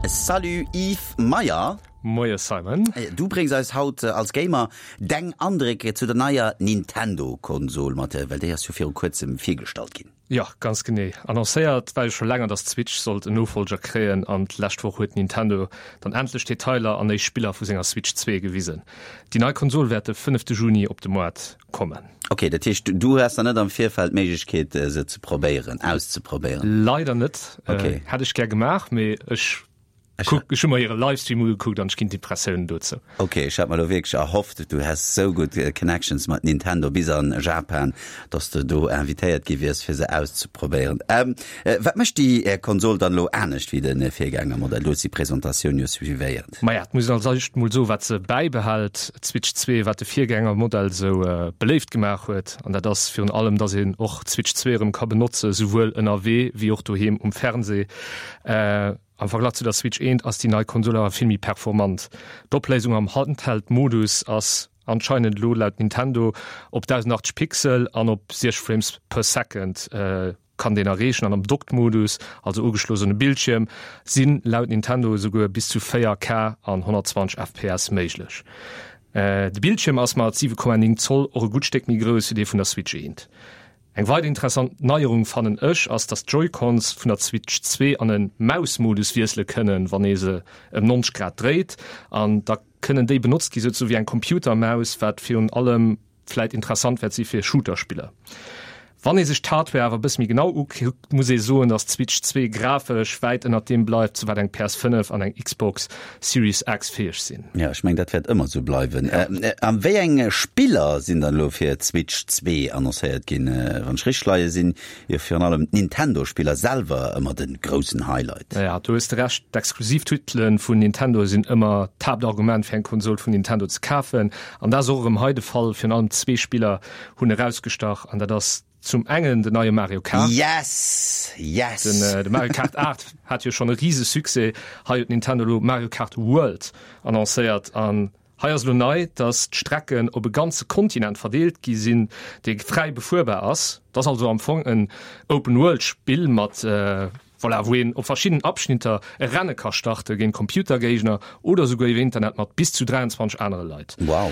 Salut Yves Meyer. Moie Simon. Du bréngs eis haut als Gamer deng Andréck zu der neier Nintendo-Konsol mat, well déi ass jo viru kuerzem virgestallt ginn. Jo, ganz genee. Annoncéiert war jo scho länger, dass d'Switch sollt en Nofollger kréien an d'lescht Woch huet Nintendo dann endlech Detailer an éischt Spiller vu senger Switch 2 gewisen. Déi nei Konsol wäert de fënnefte Juni op de Moart kommen. Ok, dat heescht du has dann net am Virfeld d'Méiglechkeet se ze probéieren, auszeprobéieren? Leider net. Ok. Hätt ech gär gemaach, mee ech kuck, ech hu mer hire Livestream ugekuckt an ech ginn d'Impressiounen dozou. Ok, ech hat mer elo wierklech erhofft, du häss sou gutt Connections mat Nintendo bis an Japan, dass de do invitéiert gi wiers fir se auszeprobéieren. Wat mécht déi Konsol dann elo anescht wéi de Virgängermodell? Du hues déi Presentatioun jo suivéiert. Maja, et muss een als éischt mol soen, wat se bäibehält, d'Switch 2, wat de Virgängermodell sou beléift gemaach huet, an dat ass virun allem, dass een och d'Switch 2 erëm ka benotze souwuel ënnerwee wéi och doheem um Fernseh. Am Verglach zu der Switch 1 ass déi nei Konsol awer vill méi performant. D'Opléisung am Handheld-Modus ass anscheinend elo laut Nintendo op 1080 Pixel an op 60 Frames per Second kann deen erreechen an am Docked-Modus, also ugeschloss un e Bildschierm, si laut Nintendo esouguer bis zu 4K an 120 FPS méiglech. De Bildschierm ass mat 7,9 Zoll och e gutt Stéck méi grouss wéi dee vun der Switch 1. Eng weider interessant Neierung fannen ech ass, dass d'Joy-Cons vun der Switch 2 an en Maus-Modus wiessele kënnen, wann ee se ëm 90 Grad dréit, an da kënnen déi benotzt gi souzesoe wéi eng Computermaus, wat virun allem vläit interessant wäert si fir Shooter-Spiller. Wann ee sech d'Hardware awer e bësse méi genau ukuckt, muss ee soen, dass d'Switch 2 grafesch wäit ënnert deem bleift, zu wat eng PS5 an eng Xbox Series X fäeg sinn. Jo, ech mengen, dat wäert ëmmer esou bleiwen. A wéi eng Spiller sinn dann elo fir d'Switch 2 annoncéiert ginn? Wann ech richteg leie, sinn jo virun allem d'Nintendo-Spiller selwer ëmmer de groussen Highlight. Jo, do hues de Recht. D'Exklusivtitele vun Nintendo sinn ëmmer d'Haaptargument, fir eng Konsol vun Nintendo ze kafen. An dat ass och erëm hei de Fall. Virun allem zwee Spiller hunn erausgestach, an dat ass Zum engen den neie Mario Kart. Yes! Yes! Den, de Mario Kart 8 hat jo schonn e rise Succès. Hei huet Nintendo elo Mario Kart World annoncéiert an hei ass elo nei, dass d'Strecken op e ganze Kontinent verdeelt gi sinn, dee fräi befuerbar ass. Et ass also am Fong en Open-World-Spill mat, voilà, wou een op verschiddenen Abschnitter e Renne ka starte géint Computergéigner oder souguer iwwer Internet mat bis zu 23 anere Leit. Wow!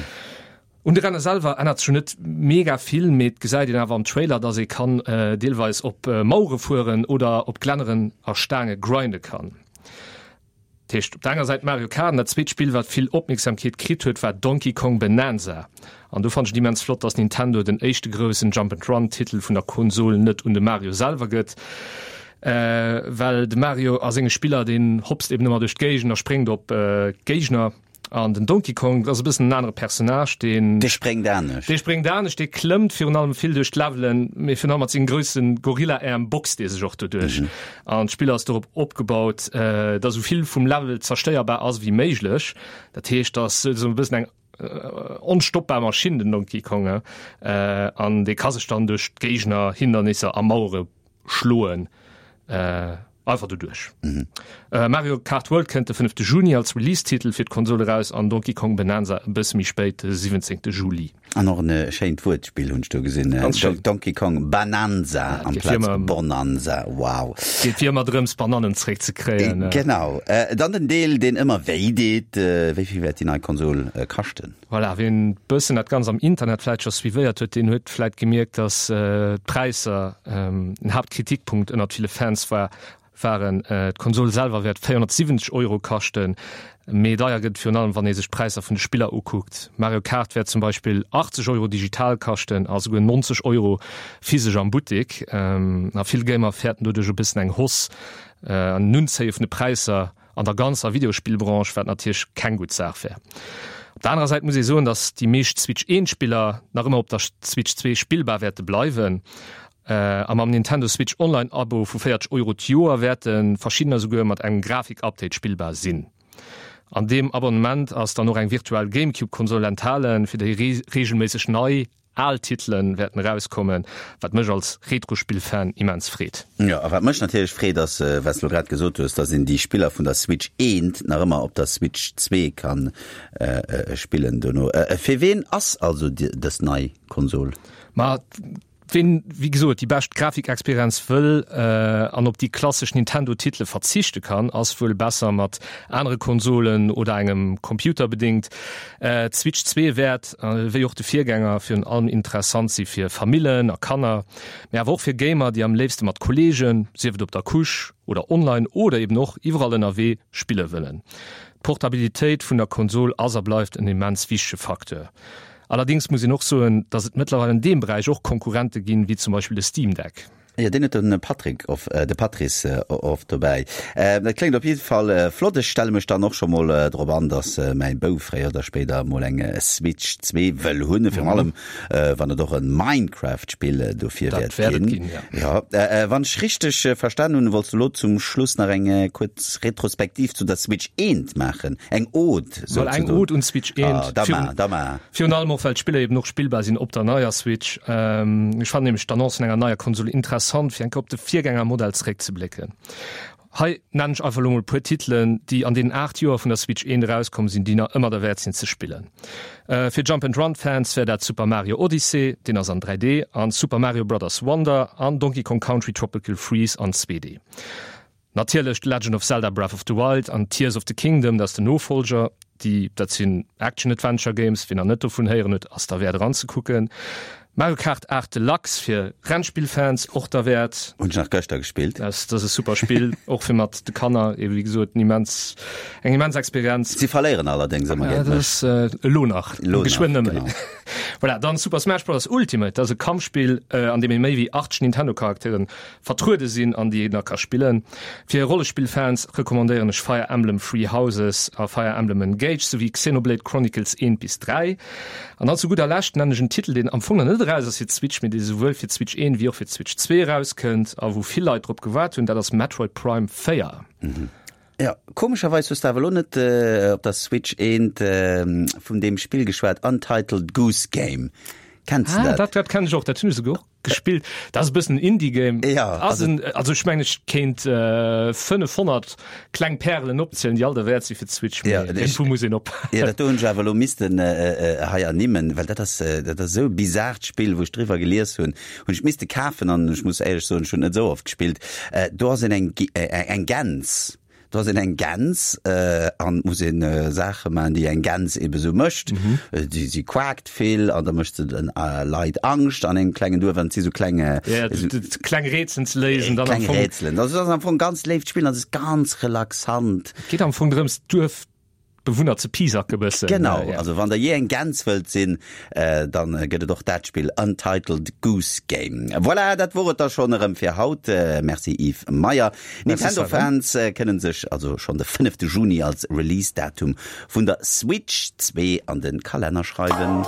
Un de Renne selwer ännert sech jo net mega vill, mee et gesäit een awer am Trailer, dass ee kann deelweis op Mauere fueren oder op Glänneren a Staange grinde kann. Dat heescht op der enger Säit Mario Kart an dat zweet Spill wat vill Opmierksamkeet kritt huet war Donkey Kong Bananza. An do fannt ech et immens flott, dass Nintendo den éischte groussen Jump and Run Titel vun der Konsol net un de Mario selwer gëtt, well de Mario a senge Spiller deen hopst eben ëmmer duerch d'Géigend a spréngt op d'Géigner. An den Donkey Kong ass e bëssen en anere Personnage, deen. Dee spréngt anescht. Dee spréngt anescht, dee klëmmt virun allem vill duerch d'Levelen, mee virun allem mat sengem grousse Gorilla-Äerm boxt dee sech och doduerch. An d'Spill ass dorop opgebaut, datt esou vill vum Level zerstéierbar ass ewéi méiglech. Dat heescht, datt esou e bëssen eng onstoppbar Maschinn, den Donkey Kong, an dee ka sech dann duerch d'Géigner, Hindernisser a Mauere schloen. Einfach doduerch. Mario Kart World kënnt de fënnefte Juni als Release-Titel fir d'Konsol eraus an Donkey Kong Bananza e bësse méi spéit, de 17. Juli. An och en schéint Wuertspill hunn ech do gesinn, Ganz schéin. Donkey Kong Bananza amplaz Bonanza. Wow. Geet wéi ëmmer drëms, Banannen zeréckzekréien. Genau. Dann den Deel, deen ëmmer wéi deet, Wéi vill wäert déi nei Konsol kaschten? Voilà, wien bëssen dat Ganzt am Internet vläit scho suivéiert huet, deen huet vläit gemierkt, datt d'Präisser en Haaptkritikpunkt ënnert ville Fans war, waren. D'Konsol selwer wäert 470 Euro kaschten, mee deier gëtt et virun allem, wann ee sech d'Präisser vun de Spiller ukuckt. Mario Kart wäert zum Beispill 80 Euro digital kaschten a souguer 90 Euro physesch am Buttek. A vill Gamer fäerten doduerch e bëssen eng Hausse an en Unzéie vun de Präisser an der ganzer Videospillbranche, wat natierlech keng gutt Saach wär. Op der anerer Säit muss ee soen, datt déi meescht Switch 1 Spiller nach ëmmer op der Switch 2 spillbar wäerte bleiwen. A mam Nintendo Switch Online Abo vu 40 Euro d'Joer wäerte verschiddener souguer mat engem Grafik-Update spillbar sinn. An deem Abonnement ass dann och eng virtuell Gamecube-Konsol enthalen, fir déi reegelméisseg nei Al Titelen wäerten erauskommen, wat mech als Retrospill-Fan immens freet. Jo, a wat mech natierlech freet ass, wat s de lo grad gesot hues, dass een déi Spiller vun der Switch 1 nach ëmmer op der Switch 2 kann spillen dono. Fir ween ass also dës nei Konsol? Ma. Ween, wéi gesot, déi bescht Grafikexperienz wëll an op déi klassesch Nintendo-Titele verzichte kann, ass wuel besser mat anere Konsolen oder engem Computer bedéngt. D'Switch 2 wäert, wéi och de Virgänger, virun allem interessant si fir Famillen a Kanner, mee awer och fir Gamer, déi am léifste mat Kolleegen, sief et op der Couche oder online oder eben och iwwerall ënnerwee, spille wëllen. D'Portabilitéit vun der Konsol ass a bleift en immens wichtege Facteur. Allerdings muss een och soen, dass et mëttlerweil an deem Beräich och Konkurrente ginn, wéi zum Beispill de Steam Deck. Jo, deen huet de Patrick of, de Patrice oft dobäi. Dat kléngt op jidde Fall flott. Ech stelle mech dann och scho mol drop an, dass mäi Bouf fréier oder spéider mol eng Switch 2 wëll hunn, virun allem wann et och e Minecraft-Spill dofir wäert ginn. Jo, wann ech richteg verstan hunn, wollts du elo zum Schluss nach eng kuerz Retrospektiv zu der Switch 1 maachen, eng Ode. Soll eng Ode un d'Switch 1. Ah, da ma, da ma. Virun allem och well d'Spiller eben och spillbar sinn op der neier Switch. Ech fannen nämlech d'Annonce vun enger neier Konsol interessant, fir eng Kéier op de Virgängermodell zeréckzeblécken. Hei nennen ech einfach elo mol e puer Titelen, déi an deenen 8 Joer vun der Switch 1 erauskomm sinn, déi nach ëmmer derwäert sinn ze spillen. Fir Jump and Run Fans wär dat Super Mario Odyssey, deen ass an 3D, an Super Mario Brothers Wonder an Donkey Kong Country Tropical Freeze an 2D. Natierlech The Legend of Zelda Breath of the Wild an Tears of the Kingdom, dat ass den Nofollger. Déi, dat sinn Action-Adventure Games, wien nach net dovun héieren huet, ass derwäert eranzekucken. Mario Kart 8 Deluxe fir Rennspill-Fans, och derwäert. Hunn ech nach gëschter gespillt. Dat ass e super Spill, och fir mat de Kanner, ebe wéi gesot, en immens, eng immens Experienz. Si verléieren allerdéngs ëmmer géint mech. Dat ass elo nach, geschwënn net méi. Voilà, dann Super Smash Bros. Ultimate, dat ass e Kampfspill, an deem ee méi wéi 80 Nintendo-Charakteren Vertruede sinn an déi een da ka spillen. Fir Rollespillfans recommandéieren ech Fire Emblem Three Houses a Fire Emblem Engage souwéi Xenoblade Chronicles 1 bis 3. An dann zu gudder Lescht nennen ech en Titel deen am Fong nach net eraus ass fir d'Switch, mee dee souwuel fir d'Switch 1 wéi och fir d'Switch 2 erauskënnt a wou vill Leit drop gewaart hunn, dat ass Metroid Prime 4. Jo, komescherweis hues de awer elo net op der Switch 1 vun deem Spill geschwat, Untitled Goose Game. Kenns de dat? Ah, dat, dat kenn ech och, dat hunn ech esouguer och gespillt. Dat ass e bëssen en Indie-Game. Ja, ass en, also ech mengen, ech kéint 500 kleng Pärelen opzielen, déi all derwäert si fir d'Switch, mee Ja, ech, iergendwou muss een op. Ja, dat do hunn ech awer elo missten hei ernimmen, well dat ass, dat ass esou e bizaart Spill, wou ech driwwer gelies hunn, hunn ech misste kafen an ech muss éierlech soen, ech hunn net esou oft gespillt. Do ass een eng eng Gäns, do ass een eng Gäns an muss een Saache man, déi eng Gäns ebe sou mécht. Déi si quakt vill an da mécht se den Leit Angscht an engem klengen Duerf an et si sou kleng Ja, kleng Rätselen ze léisen dann am Fong. Kleng Rätselen. Also et ass am Fong ganz léift Spill an et ass ganz relaxant. Et geet am Fong drëms d'Duerf Bewunner ze piesacke bëssen. Genau, also wann der jee eng Gäns wëllt sinn, dann gëtt et och dat Spill Untitled Goose Game. Voilà, dat wor et da schonn erëm fir haut. Merci Yves Meyer. Nintendo Fans kënnen sech also schonn de fënnefte Juni als Release Datum vun der Switch 2 an de Kalenner schreiwen.